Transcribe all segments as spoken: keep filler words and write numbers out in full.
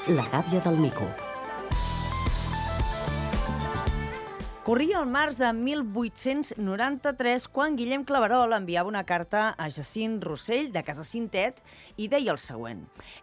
La gàbia del mico. Corria el març de mil vuit-cents noranta-tres quan Guillem Claverol enviava una carta a Jacint Rossell de Casa Cintet i deia el següent.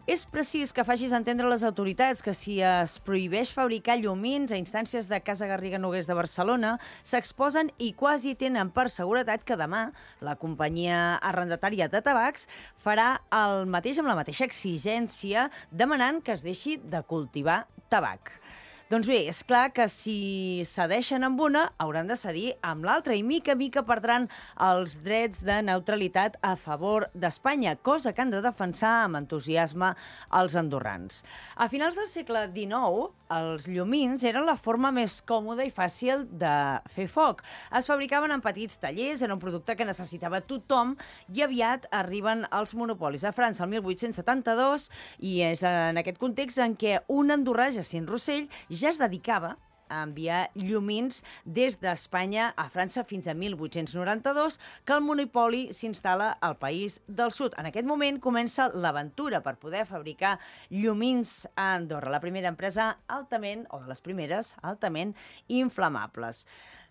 És precís que facis entendre a les autoritats que si es prohibeix fabricar llumins a instàncies de Casa Garriga Noguers de Barcelona, s'exposen i quasi tenen per seguretat que demà la companyia arrendatària de tabacs farà el mateix amb la mateixa exigència demanant que es deixi de cultivar tabac. Doncs bé, és clar que si cedeixen amb una, hauran de cedir amb l'altra i mica a mica perdran els drets de neutralitat a favor d'Espanya, cosa que han de defensar amb entusiasme els andorrans. A finals del segle dinou, els llumins eren la forma més còmoda i fàcil de fer foc. Es fabricaven en petits tallers, era un producte que necessitava tothom i aviat arriben els monopolis a França el mil vuit-cents setanta-dos i és en aquest context en què un andorrà, Jacint Rossell, ja es dedicava a enviar llumins des d'Espanya a França fins a mil vuit-cents noranta-dos, que el monopoli s'instal·la al país del sud. En aquest moment comença l'aventura per poder fabricar llumins a Andorra, la primera empresa altament, o de les primeres, altament inflamables.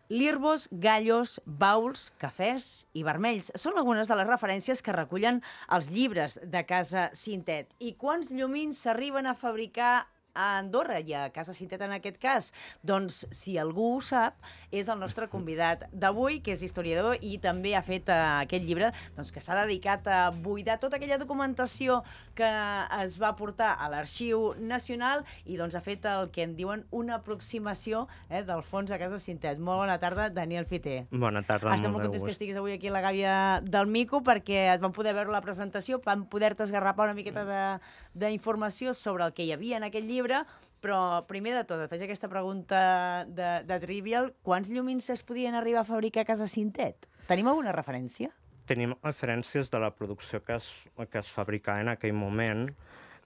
Lirbos, gallos, bauls, cafès i vermells són algunes de les referències que recullen els llibres de Casa Cintet. I quants llumins s'arriben a fabricar a Andorra i a Casa Cintet en aquest cas? Doncs, si algú ho sap, és el nostre convidat d'avui, que és historiador i també ha fet uh, aquest llibre doncs, que s'ha dedicat a buidar tota aquella documentació que es va portar a l'Arxiu Nacional i doncs, ha fet el que en diuen una aproximació eh, del fons a Casa Cintet. Molt bona tarda, Daniel Fiter. Bona tarda, Estem molt contents que estiguis avui aquí a la gàbia del mico perquè et van poder veure la presentació, van poder-te esgarrapar una miqueta d'informació sobre el que hi havia en aquest llibre. Però primer de tot, et faig aquesta pregunta de, de trivial. Quants llumins es podien arribar a fabricar a Casa Cintet? Tenim alguna referència? Tenim referències de la producció que es, que es fabricava en aquell moment,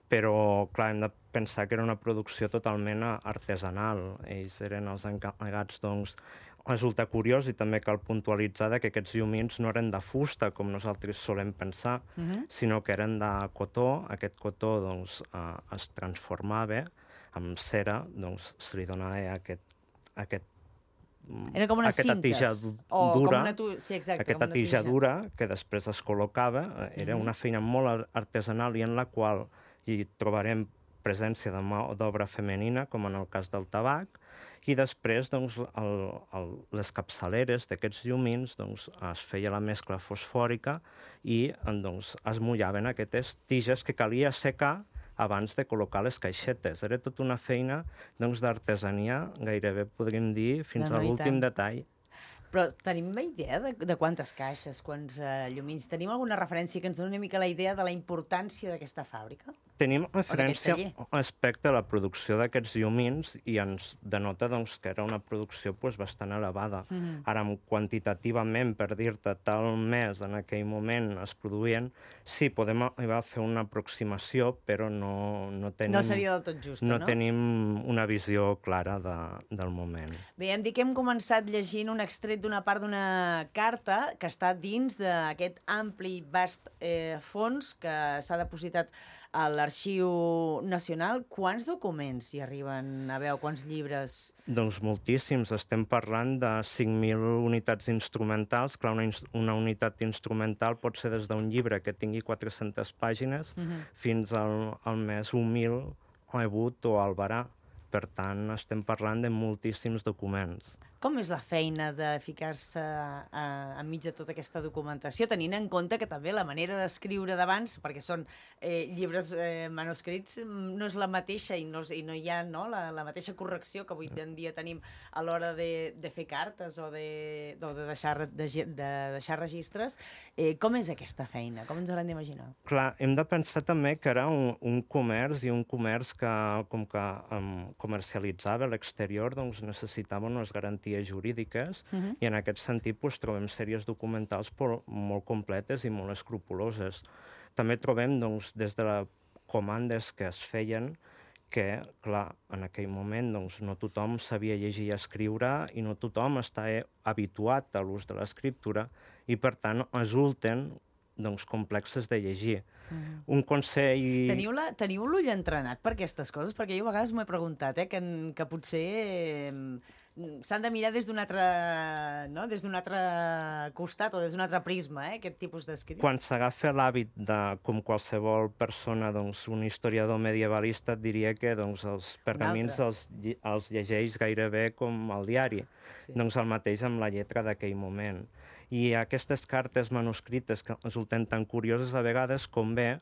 però, clar, hem de pensar que era una producció totalment artesanal. Ells eren els encarregats, doncs. Resulta curiós i també cal puntualitzar que aquests llumins no eren de fusta, com nosaltres solem pensar, uh-huh. sinó que eren de cotó. Aquest cotó doncs, eh, es transformava amb cera, doncs se li donava aquest, aquest, era com unes aquesta cintes. tija o dura, com una tu... sí, exacte, aquesta com una tija tija dura que després es col·locava. Era uh-huh. una feina molt artesanal i en la qual hi trobarem presència de mà d'obra femenina, com en el cas del tabac, i després doncs, el, el, les capçaleres d'aquests llumins doncs, es feia la mescla fosfòrica i doncs, es mullaven aquestes tiges que calia assecar abans de col·locar les caixetes. Era tota una feina doncs, d'artesania, gairebé podríem dir, fins no, no, a l'últim detall. Però tenim una idea de, de quantes caixes, quants uh, llumins? Tenim alguna referència que ens doni una mica la idea de la importància d'aquesta fàbrica? Tenim referència respecte a la producció d'aquests llumins i ens denota doncs, que era una producció pues, bastant elevada. Mm-hmm. Ara, quantitativament, per dir-te, tal mes en aquell moment es produïen, sí, podem arribar a fer una aproximació, però no, no tenim... No seria del tot justa, no? No tenim una visió clara de, del moment. Bé, hem dit que hem començat llegint un extret d'una part d'una carta que està dins d'aquest ampli, vast eh, fons que s'ha depositat a l'Arxiu Nacional. Quants documents hi arriben a veure? Quants llibres? Doncs moltíssims. Estem parlant de cinc mil unitats instrumentals. Clar, una, una unitat instrumental pot ser des d'un llibre que tingui quatre-centes pàgines uh-huh. fins al, al més humil rebut o albarà. Per tant, estem parlant de moltíssims documents. Com és la feina de ficar-se eh, enmig de tota aquesta documentació, tenint en compte que també la manera d'escriure d'abans, perquè són eh, llibres eh, manuscrits, no és la mateixa i no, i no hi ha no, la, la mateixa correcció que avui en dia tenim a l'hora de, de fer cartes o de, o de, deixar, de, de deixar registres. Eh, com és aquesta feina? Com ens l'hem d'imaginar? Clar, hem de pensar també que era un, un comerç i un comerç que, com que um, comercialitzava a l'exterior, doncs necessitava unes garanties jurídiques uh-huh. i en aquest sentit pues, trobem sèries documentals por, molt completes i molt escrupoloses. També trobem doncs, des de les comandes que es feien que, clar, en aquell moment doncs, no tothom sabia llegir i escriure i no tothom està habituat a l'ús de l'escriptura i, per tant, resulten doncs, complexes de llegir. Mm. Un consell... Teniu, la, teniu l'ull entrenat per aquestes coses? Perquè jo a vegades m'ho he preguntat, eh, que, que potser eh, s'han de mirar des d'un altre, no? des d'un altre costat o des d'un altre prisma, eh, aquest tipus d'escrit. Quan s'agafa l'hàbit de, com qualsevol persona, doncs, un historiador medievalista, et diria que doncs, els pergamins els, els llegeix gairebé com el diari. Sí. Doncs el mateix amb la lletra d'aquell moment. I aquestes cartes manuscrites que resulten tan curioses a vegades convé,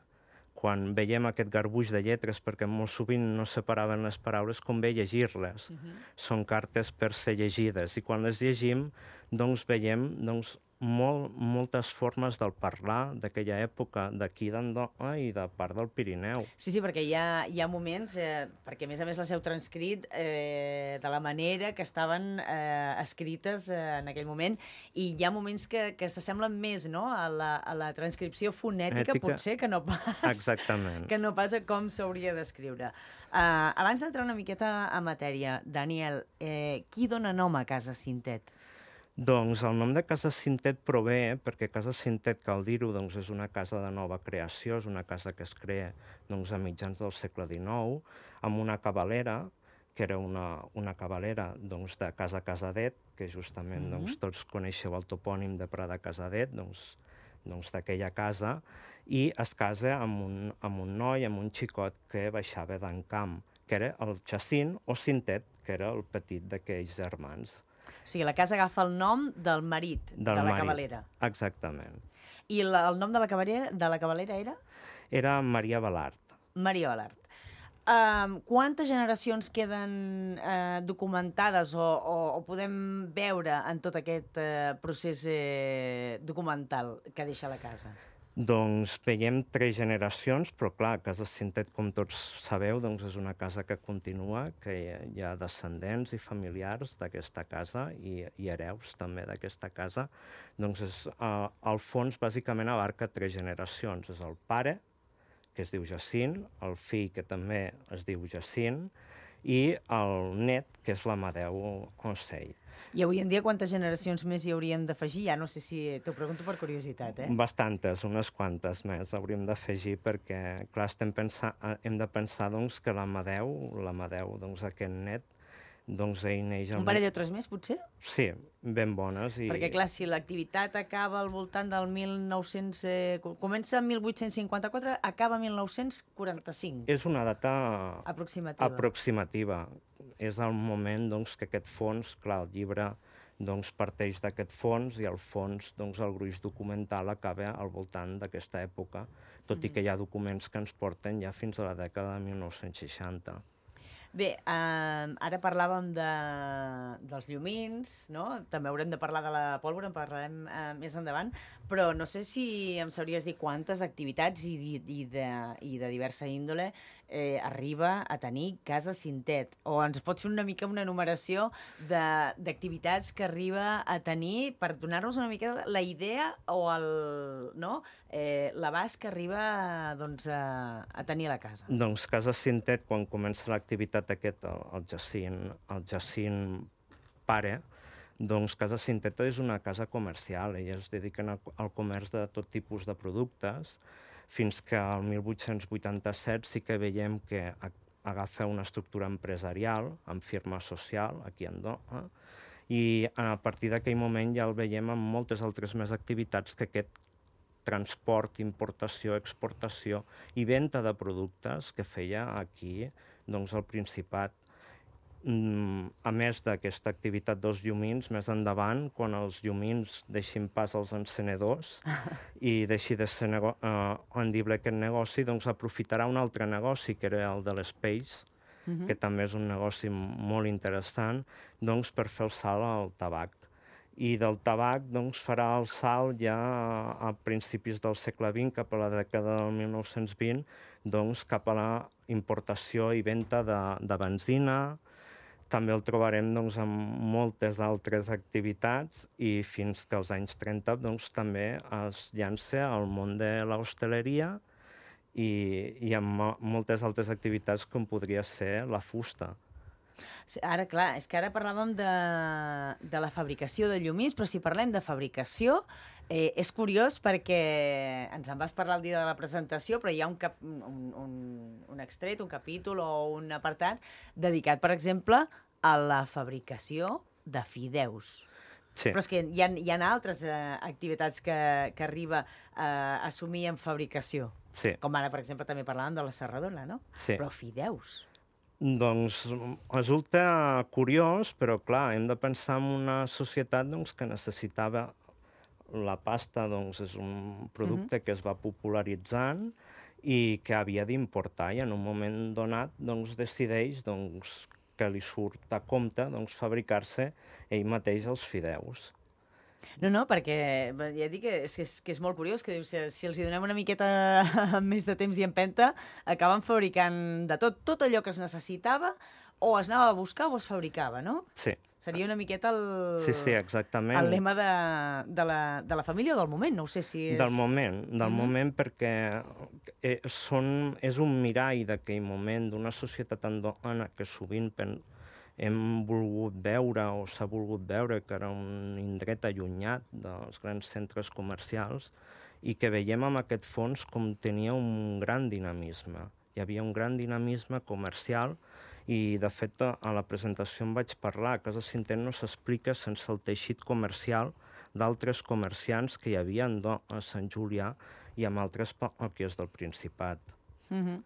quan veiem aquest garbuix de lletres, perquè molt sovint no separaven les paraules, convé llegir-les. Uh-huh. Són cartes per ser llegides. I quan les llegim, doncs veiem doncs, molt, moltes formes del parlar d'aquella època, d'aquí d'Andorra i de part del Pirineu. Sí, sí, perquè hi ha, hi ha moments, eh, perquè a més a més les heu transcrit eh, de la manera que estaven eh, escrites eh, en aquell moment, i hi ha moments que, que s'assemblen més, no?, a la, a la transcripció fonètica, Ètica, potser, que no pas, exactament. que no pas a com s'hauria d'escriure. Uh, abans d'entrar una miqueta a matèria, Daniel, eh, qui dona nom a Casa Cintet? Doncs el nom de Casa Cintet prové, perquè Casa Cintet, cal dir-ho, doncs és una casa de nova creació, és una casa que es crea doncs, a mitjans del segle dinou, amb una cavalera, que era una, una cavalera doncs, de Casa Casadet, que justament mm-hmm. doncs, tots coneixeu el topònim de Prada Casadet, doncs, doncs d'aquella casa, i es casa amb un, amb un noi, amb un xicot que baixava d'Encamp, que era el Jacint o Cintet, que era el petit d'aquells germans. O sigui, la casa agafa el nom del marit del de la marit. cavalera. Exactament. I la, el nom de la cavalera, de la cavalera era? Era Maria Balart. Maria Balart. Um, quantes generacions queden uh, documentades o, o, o podem veure en tot aquest uh, procés eh, documental que deixa la casa? Doncs veiem tres generacions, però clar, Casa Cintet, com tots sabeu, doncs és una casa que continua, que hi ha descendents i familiars d'aquesta casa i, i hereus també d'aquesta casa. Doncs és, uh, el fons bàsicament abarca tres generacions. És el pare, que es diu Jacint, el fill, que també es diu Jacint, i el net, que és l'Amadeu Ocell. I avui en dia quantes generacions més hi hauríem d'afegir? Ja no sé si... T'ho pregunto per curiositat, eh? Bastantes, unes quantes més hauríem d'afegir perquè, clar, estem pensant, hem de pensar doncs, que l'Amadeu, l'Amadeu, doncs aquest net, doncs ell neix... Un parell o tres més, potser? Sí, ben bones. I... Perquè, clar, si l'activitat acaba al voltant del mil nou-cents... Eh, comença en mil vuit-cents cinquanta-quatre, acaba en mil nou-cents quaranta-cinc. És una data... Aproximativa. Aproximativa. És el moment doncs, que aquest fons, clar, el llibre doncs, parteix d'aquest fons i el fons, doncs, el gruix documental acaba al voltant d'aquesta època, tot mm-hmm. i que hi ha documents que ens porten ja fins a la dècada de mil nou-cents seixanta. Bé, eh, ara parlàvem de, dels llumins, no? També haurem de parlar de la pólvora, en parlarem eh, més endavant, però no sé si em sabries dir quantes activitats i, i, de, i de diversa índole eh, arriba a tenir Casa Cintet, o ens pots fer una mica una enumeració d'activitats que arriba a tenir per donar-nos una mica la idea o el, no? eh, l'abast que arriba doncs, a, a tenir a la casa. Doncs Casa Cintet, quan comença l'activitat aquest, el, el Jacint, el Jacint pare, doncs Casa Cintet és una casa comercial, elles es dediquen al comerç de tot tipus de productes, fins que al mil vuit-cents vuitanta-set sí que veiem que agafa una estructura empresarial, amb firma social, aquí a Andorra, i a partir d'aquell moment ja el veiem amb moltes altres més activitats que aquest transport, importació, exportació i venda de productes que feia aquí doncs, al Principat. A més d'aquesta activitat dels llumins, més endavant, quan els llumins deixin pas als encenedors i deixi de ser nego uh, rendible aquest negoci, doncs aprofitarà un altre negoci, que era el de l'Space, uh-huh. que també és un negoci molt interessant, doncs per fer el salt al tabac. I del tabac doncs, farà el salt ja a principis del segle vint, cap a la dècada del mil nou-cents vint, doncs, cap a la importació i venda de, de benzina. També el trobarem doncs, amb moltes altres activitats i fins que als anys trenta doncs, també es llança al món de l'hostaleria i, i amb moltes altres activitats com podria ser la fusta. Ara, clar, és que ara parlàvem de, de la fabricació de llumins, però si parlem de fabricació, Eh, és curiós perquè ens en vas parlar el dia de la presentació, però hi ha un, cap, un, un, un extret, un capítol o un apartat dedicat, per exemple, a la fabricació de fideus. Sí. Però és que hi ha, hi ha altres eh, activitats que, que arriba eh, a assumir en fabricació. Sí. Com ara, per exemple, també parlàvem de la serradora, no? Sí. Però fideus. Doncs resulta curiós, però clar, hem de pensar en una societat doncs, que necessitava la pasta, doncs és un producte uh-huh. que es va popularitzant i que havia d'importar, i en un moment donat doncs, decideix doncs, que li surt a compte doncs, fabricar-se ell mateix els fideus. No, no, perquè ja dic que és, que és, que és molt curiós, que dius, si, si els hi donem una miqueta més de temps i empenta, acaben fabricant de tot, tot allò que es necessitava, o es anava a buscar o es fabricava, no? Sí. Seria una miqueta el, sí, sí, exactament. el lema de, de, la, de la família o del moment, no ho sé si és... Del moment, del Mhm. moment perquè eh, són, és un mirall d'aquell moment d'una societat andorrana que sovint pen, hem volgut veure o s'ha volgut veure que era un indret allunyat dels grans centres comercials i que veiem amb aquest fons com tenia un gran dinamisme. Hi havia un gran dinamisme comercial i, de fet, a la presentació en vaig parlar. A Casa Cintet no s'explica sense el teixit comercial d'altres comerciants que hi havia a Sant Julià i amb altres parròquies del Principat. Mhm.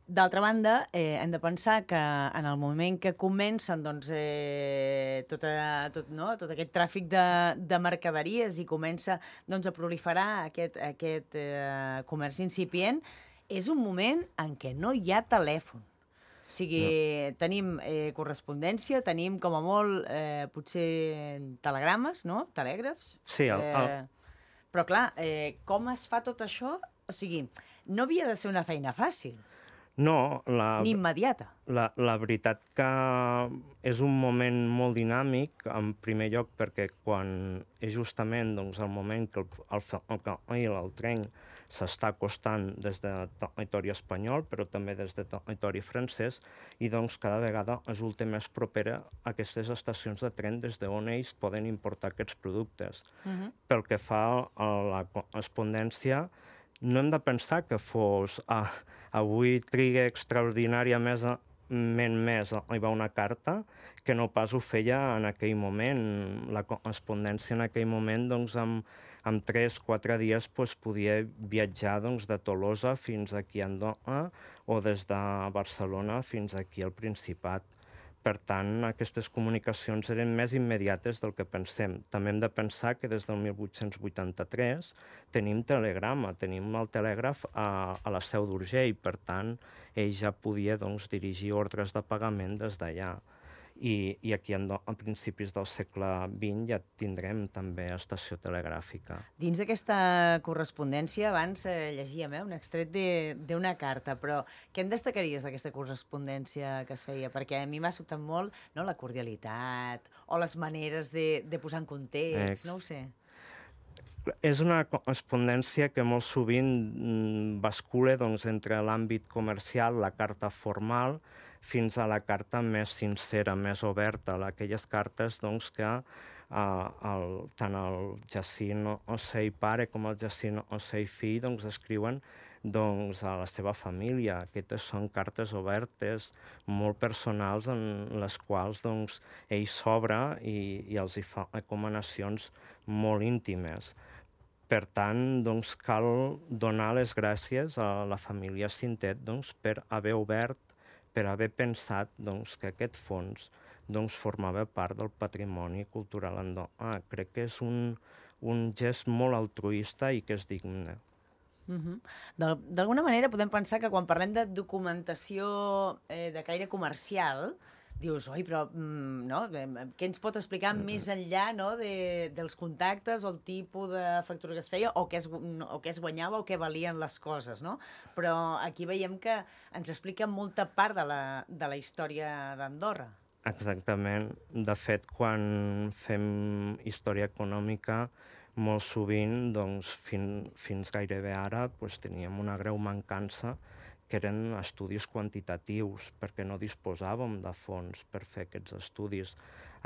D'altra banda, eh, hem de pensar que en el moment que comencen doncs, eh, tota, tot, no? tot aquest tràfic de, de mercaderies i comença doncs, a proliferar aquest, aquest eh, comerç incipient, és un moment en què no hi ha telèfon. O sigui, no. tenim eh, correspondència, tenim com a molt eh, potser telegrames, no? Telègrafs. Sí, el, el... Eh, però clar, eh, com es fa tot això? O sigui, no havia de ser una feina fàcil. No, la, ni immediata. La, la veritat que és un moment molt dinàmic, en primer lloc perquè quan és justament doncs, el moment que el, el ferrocarril, el tren, s'està acostant des de territori espanyol, però també des de territori francès, i doncs cada vegada resulta més propera a aquestes estacions de tren des d'on ells poden importar aquests productes. Uh-huh. Pel que fa a la correspondència, no hem de pensar que fos... Ah, avui triga extraordinàriament més a arribar una carta que no pas ho feia en aquell moment. La correspondència en aquell moment, doncs, amb, amb tres o quatre dies doncs, podia viatjar doncs, de Tolosa fins aquí a Andorra o des de Barcelona fins aquí al Principat. Per tant, aquestes comunicacions eren més immediates del que pensem. També hem de pensar que des del mil vuit-cents vuitanta-tres tenim telegrama, tenim el telègraf a, a la Seu d'Urgell, per tant, ell ja podia doncs, dirigir ordres de pagament des d'allà. I, i aquí a principis del segle vint ja tindrem també estació telegràfica. Dins d'aquesta correspondència, abans eh, llegíem eh, un extret d'una carta, però què en destacaries d'aquesta correspondència que es feia? Perquè a mi m'ha sobtat molt no, la cordialitat o les maneres de, de posar en context, Ex. no ho sé. És una correspondència que molt sovint bascula doncs, entre l'àmbit comercial, la carta formal, fins a la carta més sincera, més oberta, aquelles cartes doncs, que eh, el, tant el Jacint Ocell pare com el Jacint Ocell fill doncs, escriuen doncs, a la seva família. Aquestes són cartes obertes, molt personals, en les quals doncs, ell s'obre i, i els hi fa recomanacions molt íntimes. Per tant, doncs, cal donar les gràcies a la família Cintet doncs, per haver obert, per haver pensat doncs, que aquest fons doncs, formava part del patrimoni cultural andorrà. Crec que és un, un gest molt altruista i que és digne. Uh-huh. D'alguna manera podem pensar que quan parlem de documentació eh, de caire comercial, dius, oi, però mm, no? Què ens pot explicar mm-hmm. més enllà no? de, dels contactes o el tipus de factura que es feia o què es, o què es guanyava o què valien les coses, no? Però aquí veiem que ens explica molta part de la, de la història d'Andorra. Exactament. De fet, quan fem història econòmica, molt sovint, doncs, fin, fins gairebé ara, doncs, teníem una greu mancança que eren estudis quantitatius, perquè no disposàvem de fons per fer aquests estudis.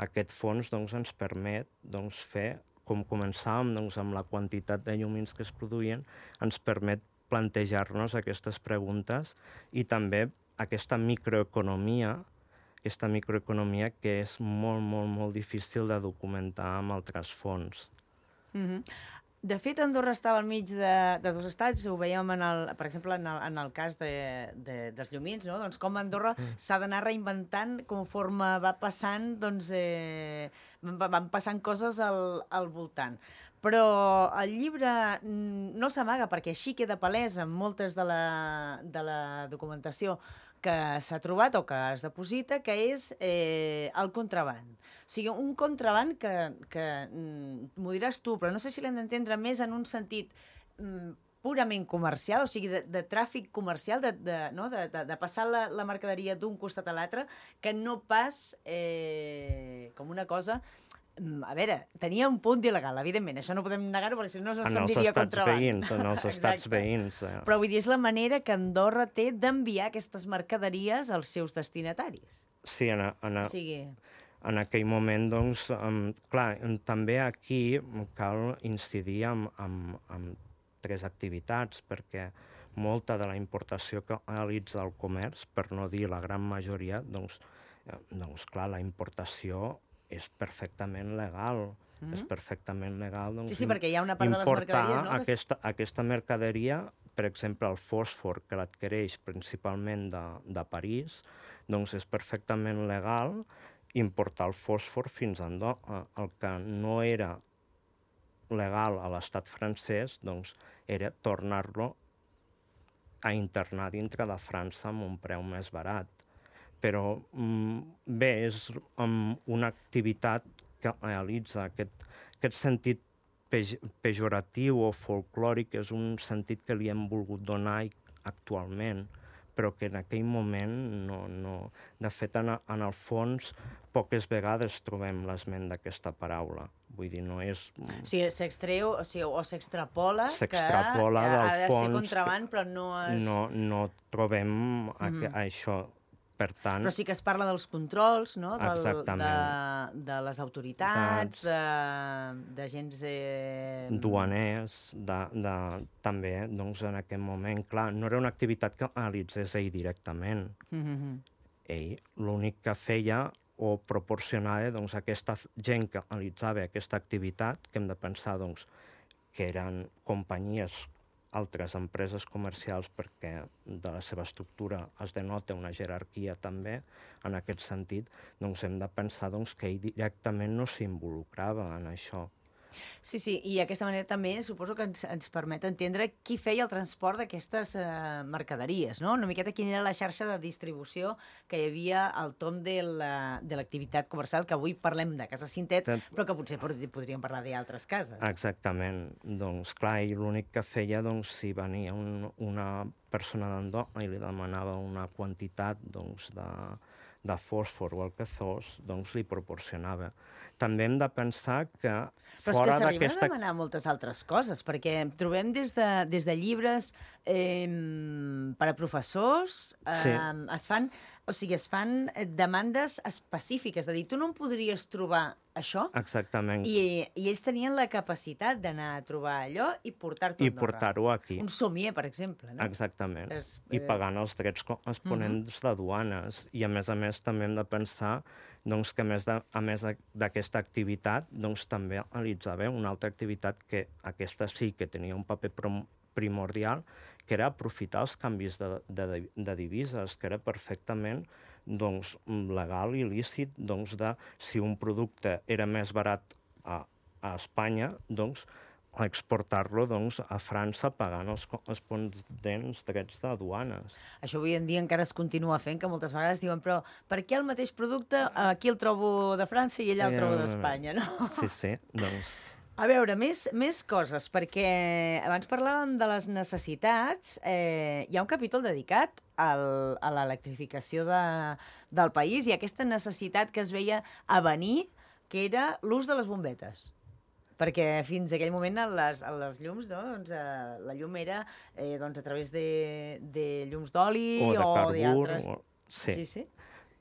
Aquest fons doncs, ens permet doncs, fer com començàvem, doncs, amb la quantitat de llumins que es produïen, ens permet plantejar-nos aquestes preguntes i també aquesta microeconomia, aquesta microeconomia que és molt, molt, molt difícil de documentar amb altres fonts. Mm-hmm. De fet, Andorra estava al mig de, de dos estats, ho veiem, en el, per exemple, en el, en el cas de, de, dels llumins, no? Doncs com Andorra mm. s'ha d'anar reinventant conforme va passant, doncs, eh, van passant coses al, al voltant. Però el llibre no s'amaga, perquè així queda palès en moltes de la, de la documentació que s'ha trobat o que es deposita, que és eh, el contraband. O sigui, un contraband que, que m'ho diràs tu, però no sé si l'hem d'entendre més en un sentit mm, purament comercial, o sigui, de, de tràfic comercial, de, de, no? de, de, de passar la, la mercaderia d'un costat a l'altre, que no pas eh, com una cosa... A veure, tenia un punt il·legal, evidentment, això no podem negar-ho, perquè si no se'n diria contraband. Veïns, en els estats veïns. Eh. Però vull dir, és la manera que Andorra té d'enviar aquestes mercaderies als seus destinataris. Sí, en, a, en, a, o sigui... en aquell moment, doncs, um, clar, també aquí cal incidir en, en, en tres activitats, perquè molta de la importació que realitza el comerç, per no dir la gran majoria, doncs, eh, doncs clar, la importació és perfectament legal. Mm-hmm. És perfectament legal, doncs, sí, sí, perquè hi ha una part de les mercaderies, no? Aquesta, aquesta mercaderia, per exemple, el fòsfor, que l'adquireix principalment de, de París, doncs és perfectament legal importar el fòsfor fins a Andorra. El que no era legal a l'estat francès, doncs, era tornar-lo a internar dintre de França amb un preu més barat. Però bé, és um, una activitat que realitza aquest, aquest sentit pej pejoratiu o folclòric, és un sentit que li hem volgut donar actualment, però que en aquell moment no... no. De fet, en, en el fons, poques vegades trobem l'esment d'aquesta paraula. Vull dir, no és... O sigui, s'extreu, o sigui, o s'extrapola que s'extrapola del ha de fons, ser contraband, però no es... No, no trobem mm-hmm. a, a això. Per tant... Però sí que es parla dels controls, no? Del, de, de les autoritats, de, de gens... Eh... duaners, de, de, també, doncs, en aquest moment, clar, no era una activitat que realitzés ell directament. Mm-hmm. Ell l'únic que feia o proporcionava, doncs, aquesta gent que realitzava aquesta activitat, que hem de pensar, doncs, que eren companyies, altres empreses comercials, perquè de la seva estructura es denota una jerarquia també, en aquest sentit, doncs hem de pensar doncs, que ell directament no s'involucrava en això. Sí, sí, i d'aquesta manera també suposo que ens, ens permet entendre qui feia el transport d'aquestes eh, mercaderies, no? Una miqueta quina era la xarxa de distribució que hi havia al tom de l'activitat la, comercial, que avui parlem de Casa Cintet, però que potser podríem parlar d'altres cases. Exactament. Doncs clar, i l'únic que feia, doncs, si venia un, una persona d'Andorra i li demanava una quantitat, doncs, de, de fòsfor o el que fos, doncs li proporcionava. També hem de pensar que Però és que s'arriben a demanar moltes altres coses, perquè trobem des de, des de llibres eh, per a professors, eh, sí. es fan, o sigui, es fan demandes específiques, de dir, tu no em podries trobar això? Exactament. I, i ells tenien la capacitat d'anar a trobar allò i portar-t'ho a Andorra. I portar-ho aquí. Un somier, per exemple, no? Exactament. És, eh... I pagant els drets corresponents uh-huh. de duanes. I, a més a més, també hem de pensar doncs, que a més, de, a més d'aquesta activitat, doncs, també realitzava una altra activitat que aquesta sí que tenia un paper primordial, que era aprofitar els canvis de, de, de divises, que era perfectament doncs, legal i lícit, doncs, de si un producte era més barat a, a Espanya, doncs, exportar-lo doncs, a França pagant els corresponents drets de duanes. Això avui en dia encara es continua fent, que moltes vegades diuen però per què el mateix producte aquí el trobo de França i allà el trobo d'Espanya, no? Sí, sí, doncs... A veure, més, més coses, perquè abans parlàvem de les necessitats. Eh, hi ha un capítol dedicat al, a l'electrificació de, del país i aquesta necessitat que es veia a venir, que era l'ús de les bombetes. Perquè fins a aquell moment les, les llums, no? doncs, eh, la llum era eh, doncs, a través de, de llums d'oli o de carbur. d'altres... O... Sí. sí, sí.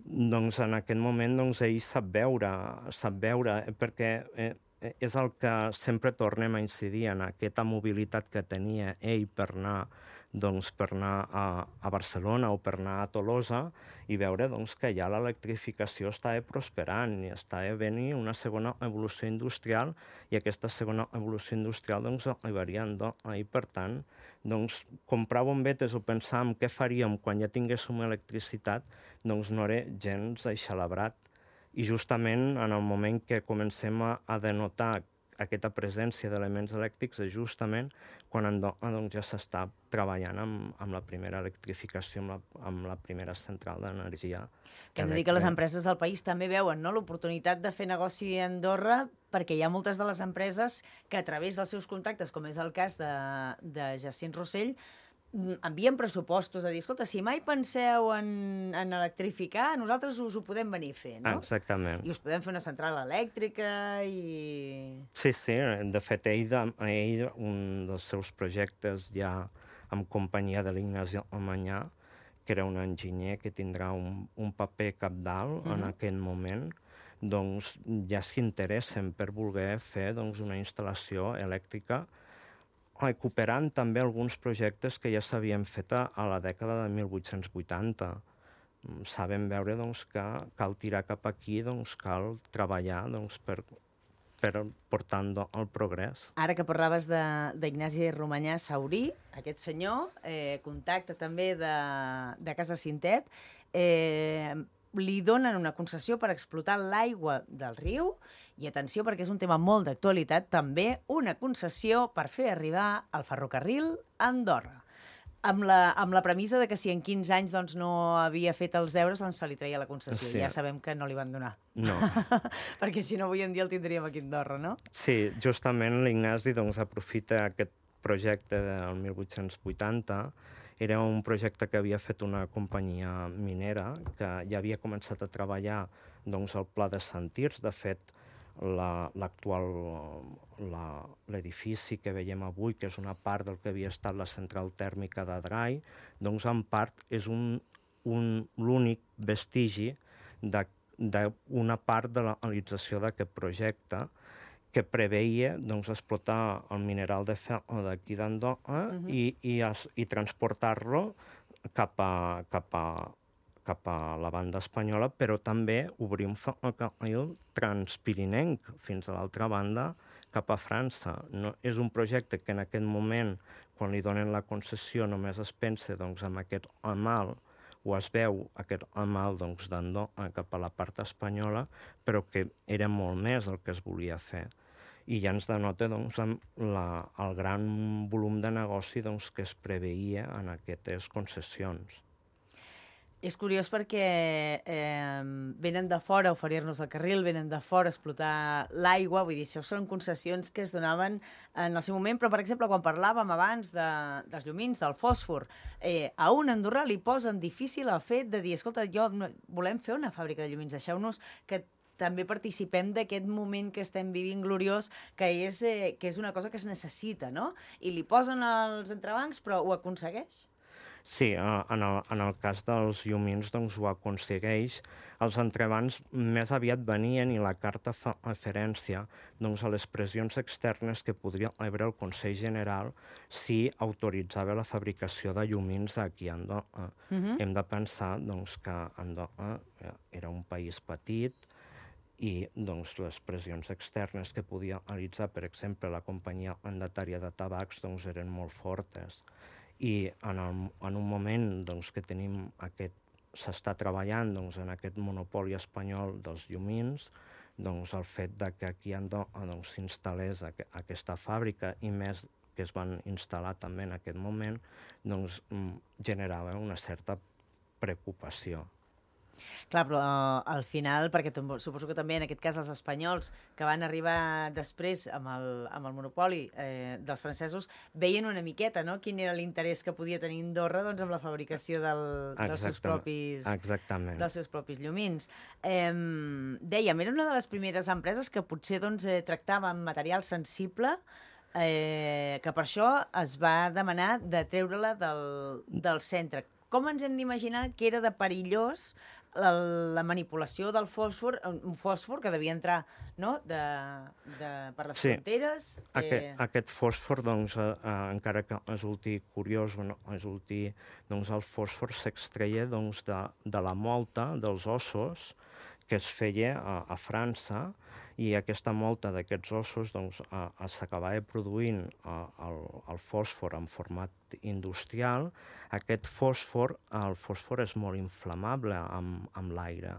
Doncs en aquest moment doncs, ell sap veure, sap veure perquè eh, és el que sempre tornem a incidir en aquesta mobilitat que tenia ell per anar, doncs, per anar a, a Barcelona o per anar a Tolosa i veure doncs, que ja l'electrificació estava prosperant i estava venint una segona evolució industrial i aquesta segona evolució industrial doncs, arribaria i per tant doncs, comprar bombetes o pensar en què faríem quan ja tinguéssim electricitat doncs no era gens aixelebrat. I justament en el moment que comencem a, a denotar aquesta presència d'elements elèctrics és justament quan Andorra doncs, ja s'està treballant amb, amb la primera electrificació, amb la, amb la primera central d'energia. Que hem de dir que les empreses del país també veuen, no?, l'oportunitat de fer negoci a Andorra, perquè hi ha moltes de les empreses que a través dels seus contactes, com és el cas de, de Jacint Rossell, envien pressupostos a dir, escolta, si mai penseu en, en electrificar, nosaltres us ho podem venir a fer, no? Exactament. I us podem fer una central elèctrica i... Sí, sí, de fet, ell, de, ell un dels seus projectes ja amb companyia de l'Ignasi Amanyà, que era un enginyer que tindrà un, un paper cabdal mm-hmm. en aquest moment, doncs ja s'interessen per voler fer doncs, una instal·lació elèctrica recuperant també alguns projectes que ja s'havien fet a, a la dècada de mil vuit-cents vuitanta. Sabem veure doncs, que cal tirar cap aquí, doncs, cal treballar doncs, per, per portant el progrés. Ara que parlaves d'Ignasi Romanyà Saurí, aquest senyor, eh, contacte també de, de Casa Cintet, eh, li donen una concessió per explotar l'aigua del riu i, atenció, perquè és un tema molt d'actualitat, també una concessió per fer arribar el ferrocarril a Andorra. Amb la, amb la premissa de que si en quinze anys doncs, no havia fet els deures, doncs se li treia la concessió. Sí. Ja sabem que no li van donar. No. Perquè si no, avui en dia el tindríem aquí a Andorra, no? Sí, justament l'Ignasi doncs, aprofita aquest projecte del mil vuit-cents vuitanta. Era un projecte que havia fet una companyia minera que ja havia començat a treballar doncs, al Pla de Sant Tirs. De fet, l'actual la, l'edifici que veiem avui, que és una part del que havia estat la central tèrmica d'Adrai, doncs en part és un, un, l'únic vestigi d'una part de la realització d'aquest projecte que preveia doncs, explotar el mineral de ferro d'aquí d'Andorra uh-huh. i, i, i transportar-lo cap a, cap, a, cap a la banda espanyola, però també obrir un ferrocarril transpirinenc fins a l'altra banda, cap a França. No, és un projecte que en aquest moment, quan li donen la concessió, només es pensa doncs, en aquest ramal, o es veu aquest ramal doncs, d'Andorra cap a la part espanyola, però que era molt més el que es volia fer. I ja ens denota doncs, la, el gran volum de negoci doncs, que es preveia en aquestes concessions. És curiós perquè eh, venen de fora a oferir-nos el carril, venen de fora a explotar l'aigua, vull dir, això són concessions que es donaven en el seu moment, però, per exemple, quan parlàvem abans de, dels llumins, del fòsfor, eh, a un andorrà li posen difícil el fet de dir, escolta, jo volem fer una fàbrica de llumins, deixeu-nos que també participem d'aquest moment que estem vivint gloriós, que és, eh, que és una cosa que es necessita, no? I li posen els entrebancs, però ho aconsegueix? Sí, en el, en el cas dels llumins doncs, ho aconsegueix. Els entrebancs més aviat venien i la carta fa referència doncs, a les pressions externes que podria rebre el Consell General si autoritzava la fabricació de llumins aquí a Andorra. Uh-huh. Hem de pensar doncs, que Andorra era un país petit, i doncs, les pressions externes que podia realitzar, per exemple, la companyia mandatària de tabacs, doncs, eren molt fortes. I en, el, en un moment doncs, que tenim aquest, s'està treballant doncs, en aquest monopoli espanyol dels llumins, doncs, el fet de que aquí a Andorra doncs, s'instal·lés aqu aquesta fàbrica i més que es van instal·lar també en aquest moment, doncs, generava una certa preocupació. Clar, però uh, al final, perquè suposo que també en aquest cas els espanyols que van arribar després amb el, amb el monopoli eh, dels francesos veien una miqueta, no?, quin era l'interès que podia tenir Andorra doncs, amb la fabricació del, dels, seus propis, dels seus propis llumins. Eh, dèiem, era una de les primeres empreses que potser doncs, eh, tractava amb material sensible, eh, que per això es va demanar de treure-la del, del centre. Com ens hem d'imaginar que era de perillós la, la manipulació del fòsfor, un fòsfor que devia entrar, no?, de, de, per les Sí. fronteres. Aquest, Eh... aquest fòsfor, doncs, eh, eh, encara que resulti curiós, no? resulti, doncs el fòsfor s'extreia doncs, de, de la molta dels ossos que es feia a, a França, i aquesta molta d'aquests ossos doncs, eh, s'acabava produint eh, el, el fòsfor en format industrial. Aquest fòsfor, el fòsfor és molt inflamable amb, amb l'aire,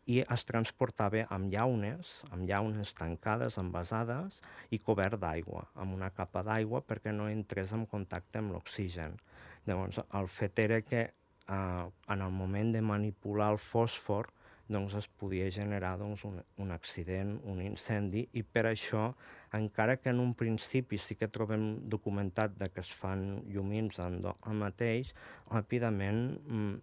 i es transportava amb llaunes, amb llaunes tancades, envasades i cobert d'aigua, amb una capa d'aigua perquè no entrés en contacte amb l'oxigen. Llavors, el fet era que eh, en el moment de manipular el fòsfor doncs es podia generar doncs, un, un accident, un incendi, i per això, encara que en un principi sí que trobem documentat de que es fan llumins en el mateix, ràpidament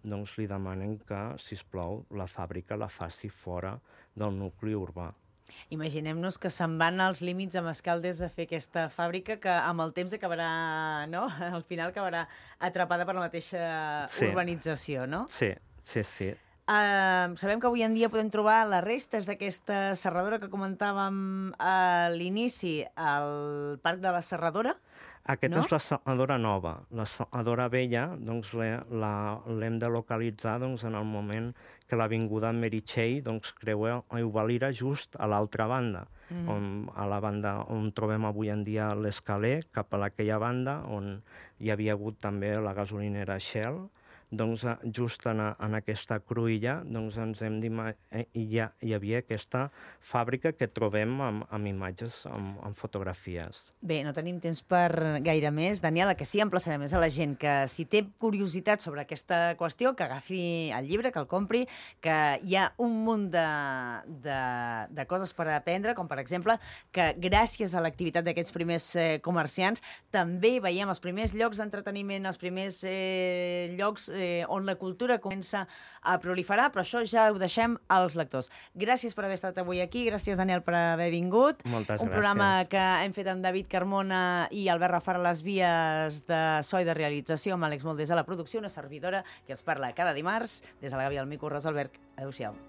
doncs, li demanen que, sisplau, la fàbrica la faci fora del nucli urbà. Imaginem-nos que se'n van als límits amb Escaldes a fer aquesta fàbrica que amb el temps acabarà, no?, al final acabarà atrapada per la mateixa sí. urbanització, no? Sí, sí, sí. Uh, sabem que avui en dia podem trobar les restes d'aquesta serradora que comentàvem a l'inici al Parc de la Serradora. Aquesta no? és la serradora nova. La serradora vella doncs, l'hem de localitzar doncs, en el moment que l'avinguda Meritxell doncs, creua Euvalira just a l'altra banda, mm. on, a la banda on trobem avui en dia l'escaler, cap a aquella banda on hi havia hagut també la gasolinera Shell. Doncs just en, en aquesta cruïlla doncs ens hem d'imaginar, hi, hi havia aquesta fàbrica que trobem amb, amb imatges, amb, amb fotografies. Bé, no tenim temps per gaire més. Daniela, que sí, emplaçarem més a la gent que si té curiositat sobre aquesta qüestió, que agafi el llibre, que el compri, que hi ha un munt de, de, de coses per aprendre, com per exemple que gràcies a l'activitat d'aquests primers eh, comerciants també veiem els primers llocs d'entreteniment, els primers eh, llocs Eh, on la cultura comença a proliferar, però això ja ho deixem als lectors. Gràcies per haver estat avui aquí, gràcies, Daniel, per haver vingut. Moltes Un gràcies. programa que hem fet amb David Carmona i Albert Rafar a les vies de so i de realització, amb Àlex Moldes a la producció, una servidora que es parla cada dimarts. Des de la Gàbia al Mico, Rosa Alberg. Adéu-siau.